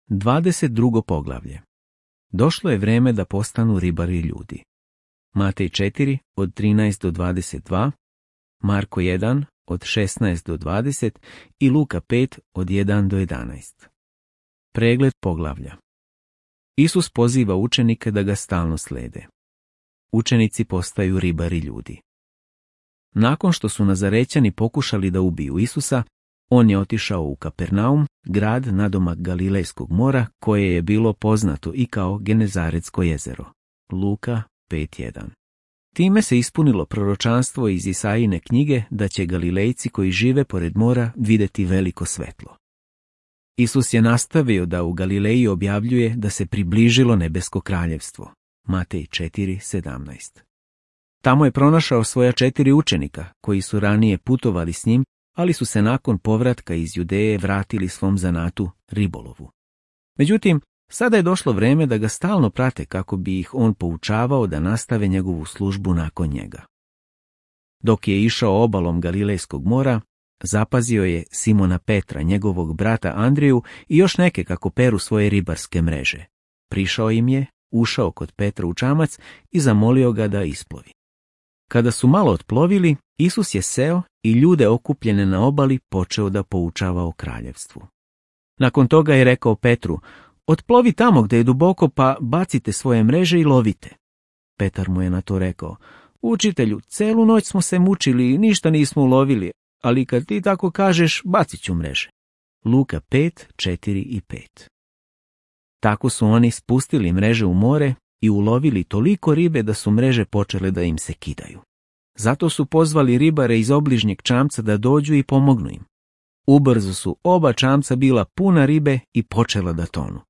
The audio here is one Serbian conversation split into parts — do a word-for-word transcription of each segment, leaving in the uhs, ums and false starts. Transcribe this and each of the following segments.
dvadeset drugo poglavlje. Došlo je vrijeme da postanu ribari ljudi. Matej četiri od trinaest do dvadeset dva, Marko jedan od šesnaest do dvadeset i Luka pet od jedan do jedanaest. Pregled poglavlja. Isus poziva učenike da ga stalno slede. Učenici postaju ribari ljudi. Nakon što su Nazarećani pokušali da ubiju Isusa, on je otišao u Kapernaum, grad nadomak Galilejskog mora, koje je bilo poznato i kao Genezaretsko jezero. Luka pet jedan. Time se ispunilo proročanstvo iz Isajine knjige da će Galilejci koji žive pored mora vidjeti veliko svetlo. Isus je nastavio da u Galileji objavljuje da se približilo nebesko kraljevstvo. Matej četiri sedamnaest. Tamo je pronašao svoja četiri učenika, koji su ranije putovali s njim, ali su se nakon povratka iz Judeje vratili svom zanatu, ribolovu. Međutim, sada je došlo vrijeme da ga stalno prate kako bi ih on poučavao da nastave njegovu službu nakon njega. Dok je išao obalom Galilejskog mora, zapazio je Simona Petra, njegovog brata Andriju i još neke kako peru svoje ribarske mreže. Prišao im je, ušao kod Petra u čamac i zamolio ga da isplovi. Kada su malo otplovili, Isus je seo i ljude okupljene na obali počeo da poučava o kraljevstvu. Nakon toga je rekao Petru: "Otplovi tamo gdje je duboko, pa bacite svoje mreže i lovite." Petar mu je na to rekao: "Učitelju, celu noć smo se mučili i ništa nismo ulovili, ali kad ti tako kažeš, bacit ću mreže." Luka pet četiri i pet. Tako su oni spustili mreže u more i ulovili toliko ribe da su mreže počele da im se kidaju. Zato su pozvali ribare iz obližnjeg čamca da dođu i pomognu im. Ubrzo su oba čamca bila puna ribe i počela da tonu.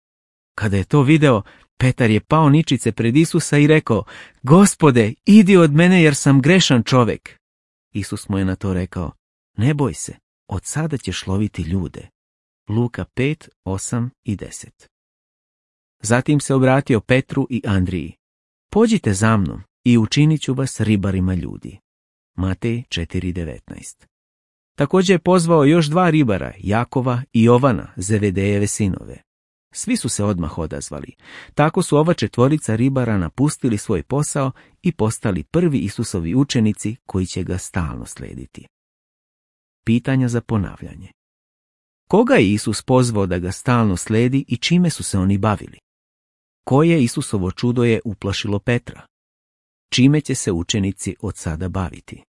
Kada je to video, Petar je pao ničice pred Isusa i rekao: "Gospode, idi od mene jer sam grešan čovek." Isus mu je na to rekao: "Ne boj se, od sada ćeš loviti ljude." Luka pet osam i deset. Zatim se obratio Petru i Andriji: "Pođite za mnom i učinit ću vas ribarima ljudi." Matej četiri devetnaest. Također je pozvao još dva ribara, Jakova i Jovana, Zevedejeve sinove. Svi su se odmah odazvali. Tako su ova četvorica ribara napustili svoj posao i postali prvi Isusovi učenici koji će ga stalno slediti. Pitanja za ponavljanje. Koga je Isus pozvao da ga stalno sledi i čime su se oni bavili? Koje Isusovo čudo je uplašilo Petra? Čime će se učenici od sada baviti?